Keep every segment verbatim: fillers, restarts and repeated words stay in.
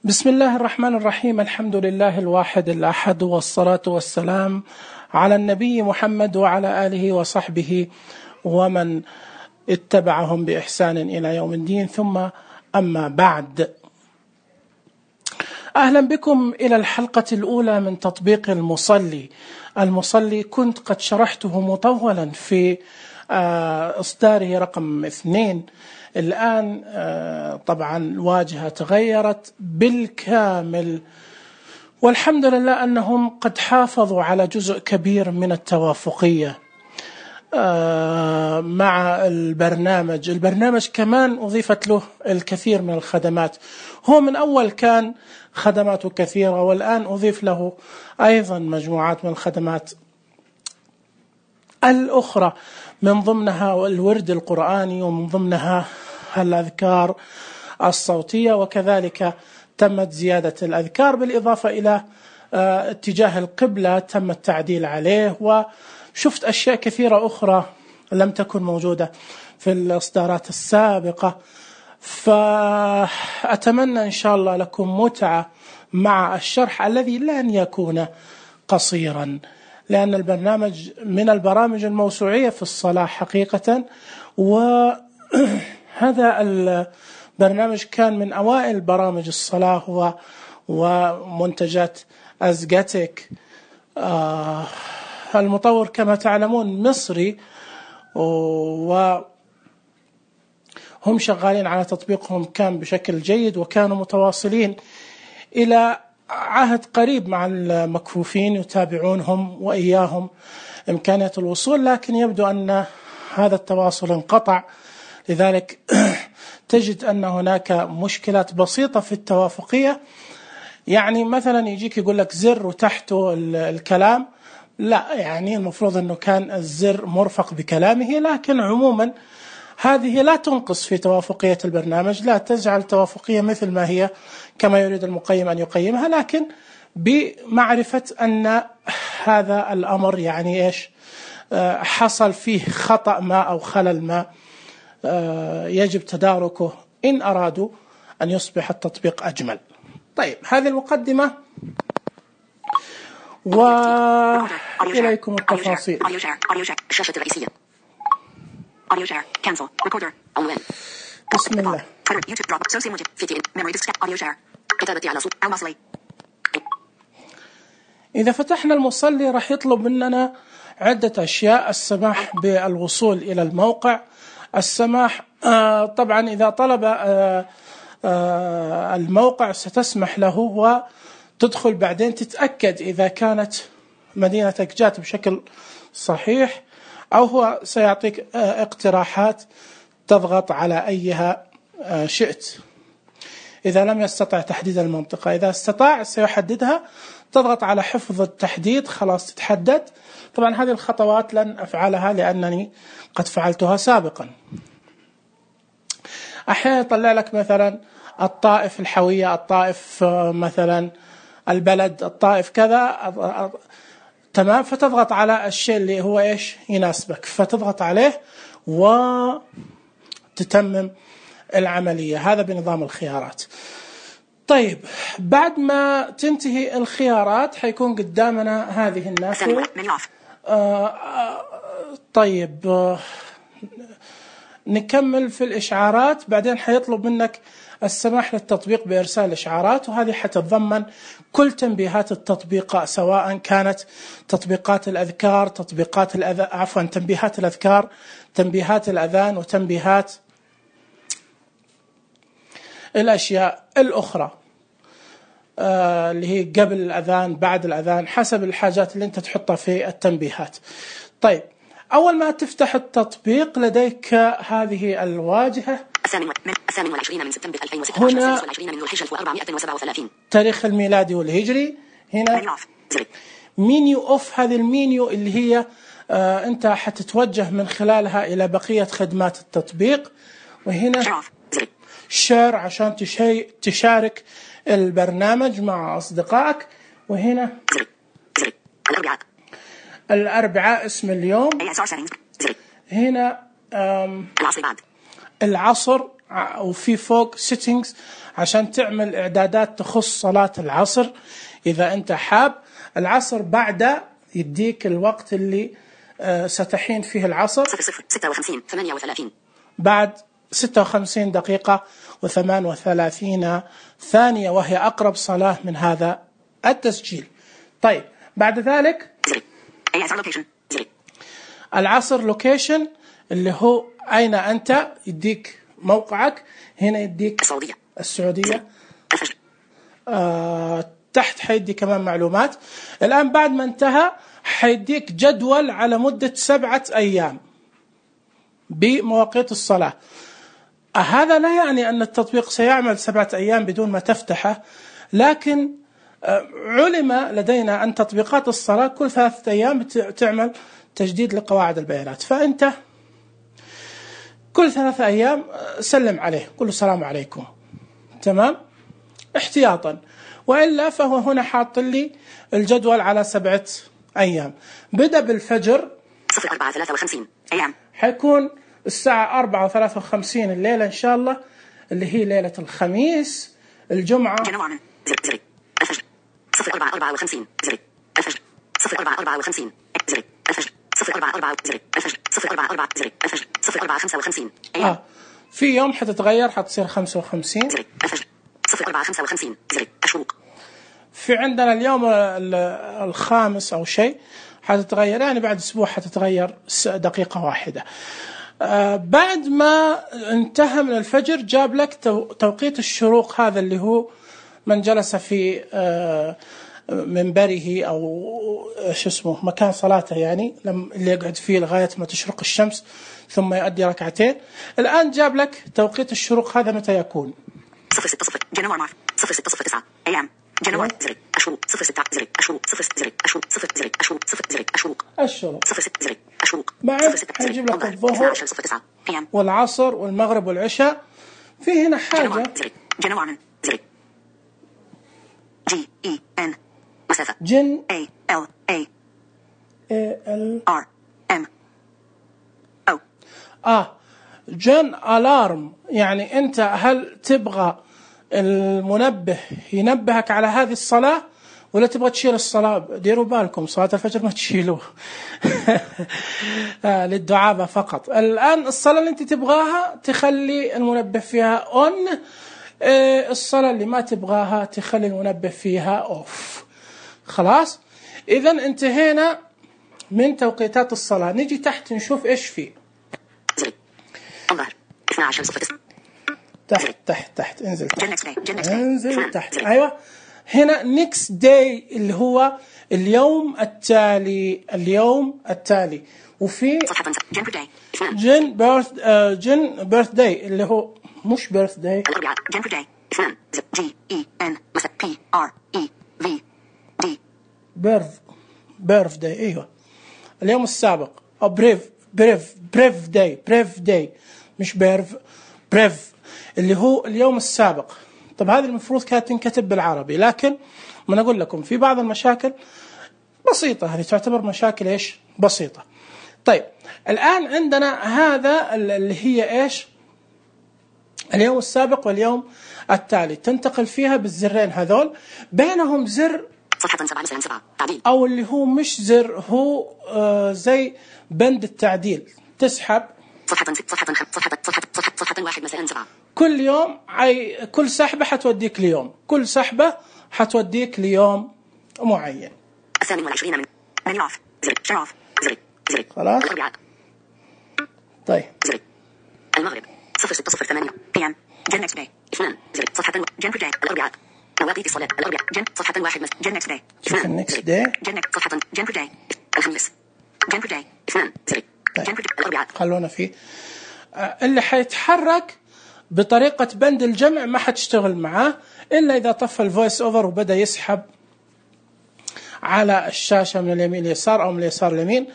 بسم الله الرحمن الرحيم. الحمد لله الواحد الأحد، والصلاة والسلام على النبي محمد وعلى آله وصحبه ومن اتبعهم بإحسان إلى يوم الدين، ثم أما بعد. أهلا بكم إلى الحلقة الأولى من تطبيق المصلي. المصلي كنت قد شرحته مطولا في إصداره رقم اثنين. الآن طبعا الواجهة تغيرت بالكامل، والحمد لله أنهم قد حافظوا على جزء كبير من التوافقية مع البرنامج. البرنامج كمان أضيفت له الكثير من الخدمات، هو من أول كان خدماته كثيرة، والآن أضيف له أيضا مجموعات من الخدمات الأخرى، من ضمنها الورد القرآني، ومن ضمنها الأذكار الصوتية، وكذلك تمت زيادة الأذكار بالإضافة إلى اتجاه القبلة تم التعديل عليه، وشفت أشياء كثيرة أخرى لم تكن موجودة في الإصدارات السابقة. فأتمنى إن شاء الله لكم متعة مع الشرح الذي لن يكون قصيرا، لأن البرنامج من البرامج الموسوعية في الصلاة حقيقة، وهذا البرنامج كان من أوائل برامج الصلاة ومنتجات أزجاتك. المطور كما تعلمون مصري، وهم شغالين على تطبيقهم كان بشكل جيد، وكانوا متواصلين إلى عهد قريب مع المكفوفين يتابعونهم وإياهم إمكانية الوصول، لكن يبدو أن هذا التواصل انقطع. لذلك تجد أن هناك مشكلات بسيطة في التوافقية، يعني مثلا يجيك يقول لك زر وتحته الكلام، لا يعني المفروض أنه كان الزر مرفق بكلامه، لكن عموما هذه لا تنقص في توافقية البرنامج، لا تجعل توافقية مثل ما هي كما يريد المقيم أن يقيمها، لكن بمعرفة أن هذا الأمر يعني إيش حصل فيه خطأ ما أو خلل ما يجب تداركه إن أرادوا أن يصبح التطبيق أجمل. طيب، هذه المقدمة وإليكم التفاصيل. الشاشة الرئيسية. Audio share. Cancel. Recorder. عنوان. بسم الله. يوتيوب دروب. سوسي موجب. في تي إن. memory disk. audio share. كتابتي على صوت. المصلي. إذا فتحنا المصلي راح يطلب مننا عدة أشياء: السماح بالوصول إلى الموقع، السماح آه طبعا إذا طلب آه آه الموقع ستسمح له وتدخل، بعدين تتأكد إذا كانت مدينتك جات بشكل صحيح، أو هو سيعطيك اقتراحات تضغط على أيها شئت. إذا لم يستطع تحديد المنطقة، إذا استطاع سيحددها، تضغط على حفظ التحديد، خلاص تتحدد. طبعا هذه الخطوات لن أفعلها لأنني قد فعلتها سابقا. أحيانا يطلع لك مثلا الطائف الحوية، الطائف مثلا البلد، الطائف كذا، تمام، فتضغط على الشيء اللي هو إيش يناسبك، فتضغط عليه وتتمم العملية. هذا بنظام الخيارات. طيب، بعد ما تنتهي الخيارات حيكون قدامنا هذه النافذة. آه آه طيب، آه نكمل في الإشعارات. بعدين حيطلب منك السماح للتطبيق بإرسال إشعارات، وهذه حتتضمن كل تنبيهات التطبيق، سواء كانت تطبيقات الأذكار، تطبيقات الأذ... عفوا تنبيهات الأذكار، تنبيهات الأذان، وتنبيهات الأشياء الأخرى آه اللي هي قبل الأذان، بعد الأذان، حسب الحاجات اللي أنت تحطها في التنبيهات. طيب، أول ما تفتح التطبيق لديك هذه الواجهة. الثامن والعشرين من سبتمبر ألفين وستة عشر، السادس والعشرين من ذو الحجة ألف وأربعمائة وسبعة وثلاثين، تاريخ الميلادي والهجري. هنا مينيو أوف، هذه المينيو اللي هي آه أنت حتتوجه من خلالها إلى بقية خدمات التطبيق. وهنا شير عشان تشارك البرنامج مع أصدقائك. وهنا الأربعاء الأربعاء اسم اليوم. هنا العصر بعد العصر وفي فوق settings عشان تعمل إعدادات تخص صلاة العصر إذا أنت حاب. العصر بعد يديك الوقت اللي ستحين فيه العصر ستة وخمسين ثمانية وثلاثين بعد ستة وخمسين دقيقة وثمان وثلاثين ثانية، وهي أقرب صلاة من هذا التسجيل. طيب بعد ذلك العصر لوكيشن اللي هو أين أنت، يديك موقعك. هنا يديك السعودية السعودية آه، تحت حيدي كمان معلومات. الآن بعد ما انتهى حيديك جدول على مدة سبعة أيام بمواقيت الصلاة. هذا لا يعني أن التطبيق سيعمل سبعة أيام بدون ما تفتحه، لكن علم لدينا أن تطبيقات الصلاة كل ثلاثة أيام تعمل تجديد لقواعد البيانات، فأنت كل ثلاثة أيام سلم عليه، قل السلام عليكم، تمام، احتياطا. وإلا فهو هنا حاط لي الجدول على سبعة أيام. بدأ بالفجر صفر أربعة ثلاثة وخمسين أيام، حيكون الساعة أربعة وثلاثة وخمسين الليلة إن شاء الله، اللي هي ليلة الخميس. الجمعة جنوان زري زري الفجر صفر أربعة أربعة وخمسين زري الفجر صفر أربعة أربعة وخمسين زري الفجر صفر أربعة أربعة زري الفجر صفر أربعة أربعة زري الفجر صفر أربعة خمسة وخمسين أيام. آه. في يوم حتتغير حتصير خمسة وخمسين زري الفجر صفر أربعة خمسة وخمسين زري الشروق. في عندنا اليوم الخامس أو شيء حتتغير، يعني بعد أسبوع حتتغير دقيقة واحدة. آه بعد ما انتهى من الفجر جاب لك توقيت الشروق، هذا اللي هو من جلس في آه منبره أو شو اسمه مكان صلاته، يعني اللي يقعد فيه لغاية ما تشرق الشمس ثم يؤدي ركعتين. الآن جاب لك توقيت الشروق هذا متى يكون. صفر ستة صفر جنوار مارس صفر ستة صفر تسعة أيام جنوار زري الشروق صفر ستة زري الشروق صفر زري الشروق صفر زري الشروق صفر زري الشروق الشروق صفر ستة زري الشروق بعد حيجيب لك الظهر والعصر والمغرب والعشاء. في هنا حاجة جنوار زري جي إي إن مسافة جن A L A A L R M O آه جن ألارم، يعني أنت هل تبغى المنبه ينبهك على هذه الصلاة ولا تبغى تشيل الصلاة؟ ديروا بالكم صلاة الفجر ما تشيلوه آه للدعابة فقط. الآن الصلاة اللي أنت تبغاها تخلي المنبه فيها أون، آه الصلاة اللي ما تبغاها تخلي المنبه فيها أوف. خلاص، إذا انتهينا من توقيتات الصلاة. نجي تحت نشوف إيش فيه. الظهر اثنا عشر صفر تسعة تحت تحت تحت انزل تحت جنكس انزل تحت. أيوة هنا next day اللي هو اليوم التالي، اليوم التالي. وفي جن بيرث جن بيرث داي اللي هو مش بيرث داي الأربعاء جن بيرث داي اثنان جي إي إن مثلا بي آر إي في دي بيرث بيرث داي. أيوة اليوم السابق أو بريف بريف بريف داي بريف داي مش بيرف بريف اللي هو اليوم السابق. طب هذه المفروض كانت تنكتب بالعربي، لكن ما أقول لكم في بعض المشاكل بسيطة، هذه تعتبر مشاكل إيش بسيطة. طيب الآن عندنا هذا اللي هي إيش اليوم السابق واليوم التالي، تنتقل فيها بالزرين هذول، بينهم زر صفحة سبعة سبعة تعديل أو اللي هو مش زر، هو آه زي بند التعديل. تسحب صفحة صفحة صفحة صفحة صفحة صفحة واحد مساء سبعة كل يوم، أي كل سحبة حتوديك ليوم، كل سحبة حتوديك ليوم معين. الثامن والعشرين من من اوف زري شراف زري زري خلاص. الأربعاء طيب زري المغرب صفر ستة صفر ثمانية بي ام جن نكست داي اثنان زري صفحة جن بر داي الأربعاء مواقيت الصلاة الأربعاء جن صفحة واحد مس جن نكست داي اثنان نكست داي جن صفحة جن بر داي الخميس جن بر داي اثنان زري جن بر الأربعاء. خلونا فيه اللي حيتحرك بطريقة بند الجمع ما حتشتغل معاه إلا إذا طفى الفويس أوفر وبدأ يسحب على الشاشة من اليمين اليسار أو من اليسار اليمين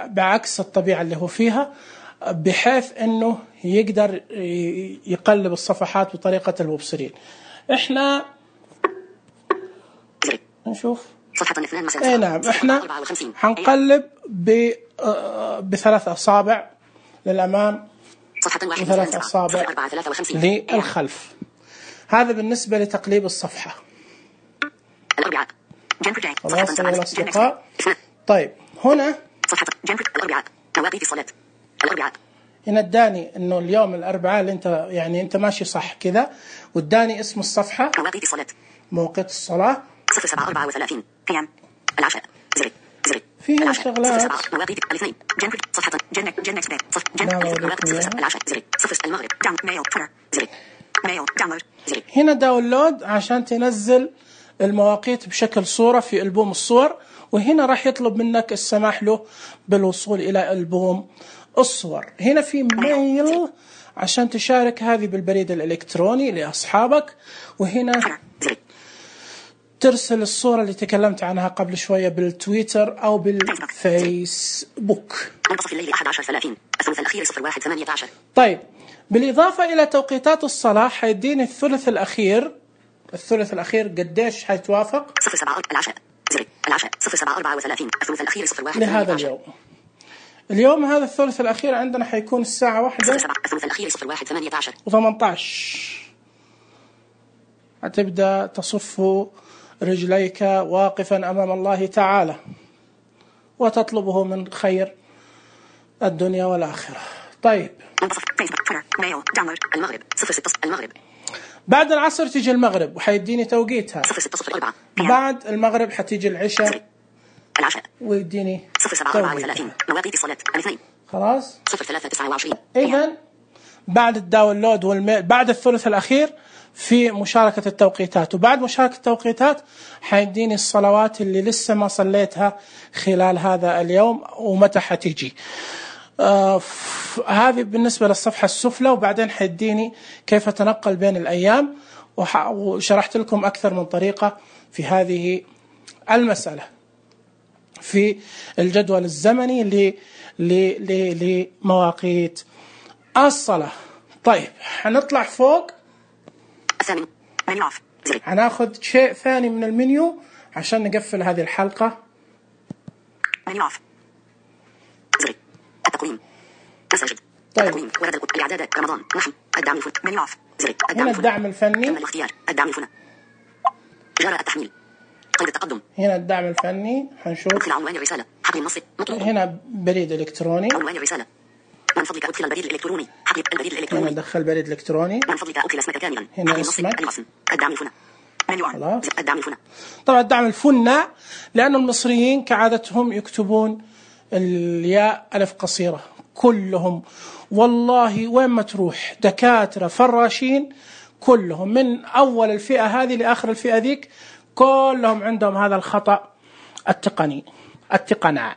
بعكس الطبيعة اللي هو فيها، بحيث أنه يقدر يقلب الصفحات بطريقة المبصرين. إحنا نشوف صفحة اثنان مساء. إيه نعم، إحنا حنقلب بثلاث أصابع للأمام وثلاث أصابع للخلف. هذا بالنسبة لتقليب الصفحة. الأربعاء. خلاص يا الأصدقاء. طيب هنا صفحة الأربعاء مواقيت الصلاة. الأربعاء هنا اداني انه اليوم الأربعاء اللي انت يعني انت ماشي صح كذا، واداني اسم الصفحة مواقيت الصلاة. موقيت الصلاة صفر سبعة أربعة وثلاثين بي إم. العشاء زري زري. في هنا شغلات مواقيت الاثنين. جنب صفحة جنك جنك سبيت صف جنك مواقيت صفر العشاء زري صفر المغرب داون ميل تويتر زري ميل داونلود زري. هنا داونلود عشان تنزل المواقيت بشكل صورة في ألبوم الصور، وهنا راح يطلب منك السماح له بالوصول إلى ألبوم الصور. هنا في ميل عشان تشارك هذه بالبريد الإلكتروني لأصحابك، وهنا ترسل الصورة اللي تكلمت عنها قبل شوية بالتويتر أو بالفيسبوك. منتصف الليل أحد عشر ثلاثين الثلث الأخير صفر واحد ثمانية عشر. طيب بالإضافة إلى توقيتات الصلاة حيديني الثلث الأخير. الثلث الأخير قديش حيتوافق؟ صفر سبعة العشاء زري العشاء صفر سبعة أربعة وثلاثين الثلث الأخير صفر واحد لهذا اليوم. اليوم هذا الثلث الأخير عندنا حيكون الساعة واحدة الثلث الأخير صفر واحد ثمانية عشر وثمانية عشر. هتبدأ تصف رجليك واقفا أمام الله تعالى وتطلبه من خير الدنيا والآخرة. طيب المغرب صفر ستة المغرب. بعد العصر تيجي المغرب وحيديني توقيتها. صفر ستة صفر أربعة. بعد المغرب حتيجي العشاء العشاء ويديني صفر سبعة أربعة وثلاثين مواقيت الصلاة الاثنين. خلاص صفر ثلاثة تسعة وعشرين. إذن بعد الداونلود والميل بعد الثلث الأخير في مشاركة التوقيتات، وبعد مشاركة التوقيتات حيديني الصلوات اللي لسه ما صليتها خلال هذا اليوم ومتى حتيجي. آه هذه بالنسبة للصفحة السفلى، وبعدين حيديني كيف أتنقل بين الأيام، وشرحت لكم أكثر من طريقة في هذه المسألة في الجدول الزمني لمواقيت الصلاة. طيب حنطلع فوق الثامن منيو اوف زري. حناخذ شيء ثاني من المنيو عشان نقفل هذه الحلقة. منيو اوف زري التقويم مساجد. طيب. التقويم ورد الإعدادات رمضان نحن الدعم الفني منيو اوف زري هنا الدعم الفني. تم الاختيار الدعم الفني جرى التحميل قيد التقدم. هنا الدعم الفني حنشوف. ادخل عنوان الرسالة حقل النص مطلوب. هنا بريد إلكتروني. عنوان الرسالة من فضلك ادخل البريد الإلكتروني حقل البريد هنا الإلكتروني. ندخل بريد إلكتروني. من فضلك ادخل اسمك كاملا. هنا اسمك. الوصم الدعم الفني منيو خلاص. الدعم الفني. طبعا الدعم الفني لأن المصريين كعادتهم يكتبون الياء ألف قصيرة كلهم، والله وين ما تروح دكاترة فراشين كلهم من أول الفئة هذه لآخر الفئة ذيك كلهم عندهم هذا الخطأ التقني التقنع.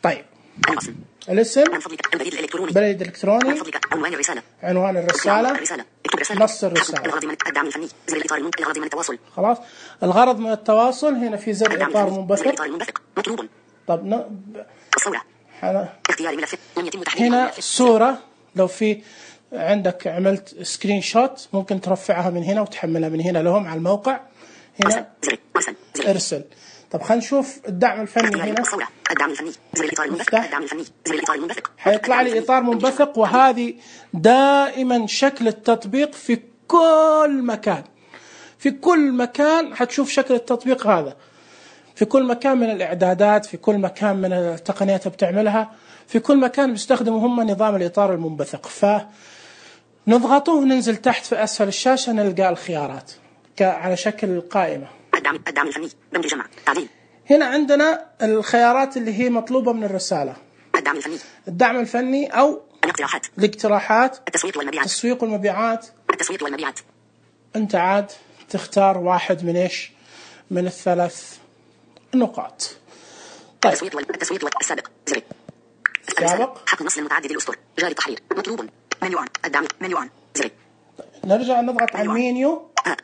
طيب الوصم الاسم من فضلك البريد الإلكتروني. بريد إلكتروني. من فضلك عنوان الرسالة. عنوان الرسالة. الرسالة. اكتب رسالة. نص الرسالة. الغرض من الدعم الفني زر الإطار المنبثق. الغرض من التواصل. خلاص الغرض من التواصل هنا في زر إطار منبثق. الإطار المنبثق مطلوب. طب ن... الصورة. حنا... اختيار ملف لم يتم تحديد هنا الملف. الصورة لو في عندك عملت سكرين شوت ممكن ترفعها من هنا وتحملها من هنا لهم على الموقع. هنا زر ارسل زر. ارسل. طب خلينا نشوف الدعم الفني هنا. الصورة الدعم الفني زر الإطار المنبثق. الدعم الفني زر الإطار المنبثق. حيطلع لي إطار منبثق، وهذه دائما شكل التطبيق في كل مكان. في كل مكان حتشوف شكل التطبيق هذا، في كل مكان من الإعدادات، في كل مكان من التقنيات بتعملها، في كل مكان بيستخدموا هم نظام الإطار المنبثق. فنضغطه وننزل تحت في أسفل الشاشة نلقى الخيارات على شكل قائمة. الدعم الدعم الفني بند جمع تعديل. هنا عندنا الخيارات اللي هي مطلوبة من الرسالة. الدعم الفني. الدعم الفني أو الاقتراحات. الاقتراحات. التسويق والمبيعات. التسويق والمبيعات. التسويق والمبيعات. أنت عاد تختار واحد من إيش من الثلاث نقاط. طيب. التسويق وال... التسويق والسابق زر. السابق. حق النص المتعدد الأسطر جاري التحرير مطلوب. منيو عن الدعم منيو عن زر. نرجع نضغط على المنيو. آه.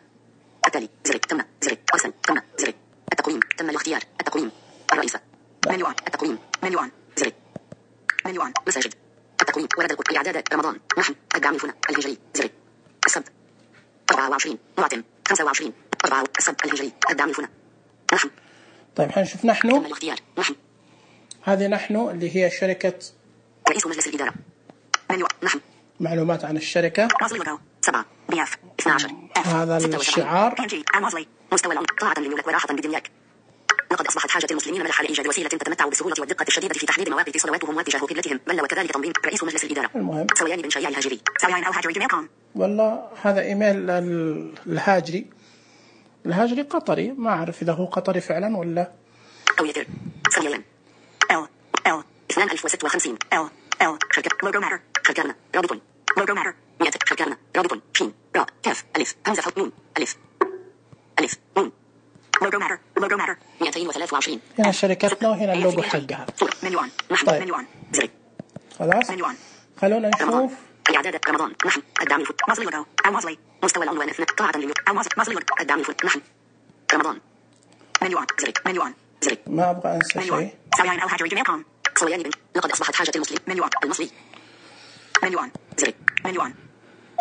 التالي زر تم زر ارسل تم زر التقويم تم الاختيار التقويم الرئيسة منيو عن التقويم منيو عن زر منيو عن مساجد التقويم ورد الإعدادات رمضان نحن الدعم الفني الهجري زر السبت أربعة وعشرين معتم خمسة وعشرين أربعة السبت الهجري الدعم الفني نحن. طيب حنشوف نحن. تم الاختيار نحن. هذه نحن اللي هي شركة رئيس مجلس الإدارة منيو نحن معلومات عن الشركة. سبعة بي اف اثنا عشر هذا الشعار. مستوى العمق طاعة للملك وراحة بدنياك. لقد أصبحت حاجة المسلمين ملحا لإيجاد وسيلة تتمتع بالسهولة والدقة الشديدة في تحديد مواقيت صلواتهم واتجاه قبلتهم، بل وكذلك تنظيم رئيس مجلس الإدارة. المهم سويان بن شياع الهاجري. سويان الهاجري جيميل كوم. والله هذا إيميل الهاجري. الهاجري قطري، ما أعرف إذا هو قطري فعلا ولا. أو يتر. سويان. ال ال اثنان ألف وستة وخمسين. ال ال شركة لوجو ماتر. شركة رابط. لوجو ماتر. مئة. شركة رابط. شين. را. كاف. ألف. همزة فوق نون. ألف. ألف. نون. لوجو ماتر. لوجو ماتر. مئتين وثلاثة وعشرين. هنا شركتنا وهنا اللوجو حقها. مليون. نحن طيب. مليون. زري. خلاص. مليون. خلونا نشوف. الإعداد رمضان. نحن. الدعم الفوت. مصلي لوجو. أو مصلي. مستوى العنوان اثنان. طاعة لليوم. أو مصلي. مصلي لوجو. الدعم الفوت. نحن. رمضان. مليون. زري. مليون. زري. ما أبغى أنسى شيء. سويان الهاجري جيميل كوم. سويان بن. لقد أصبحت حاجة المسلم. مليون. المصري. مليون. زري. مليون.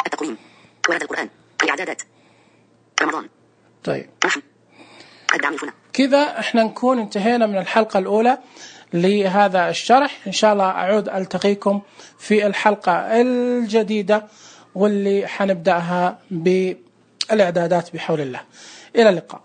التقويم. ورد القرآن. الإعدادات. رمضان. طيب. نحن. الدعم الفوت. كذا احنا نكون انتهينا من الحلقة الأولى لهذا الشرح. إن شاء الله أعود ألتقيكم في الحلقة الجديدة واللي حنبدأها بالإعدادات بحول الله. إلى اللقاء.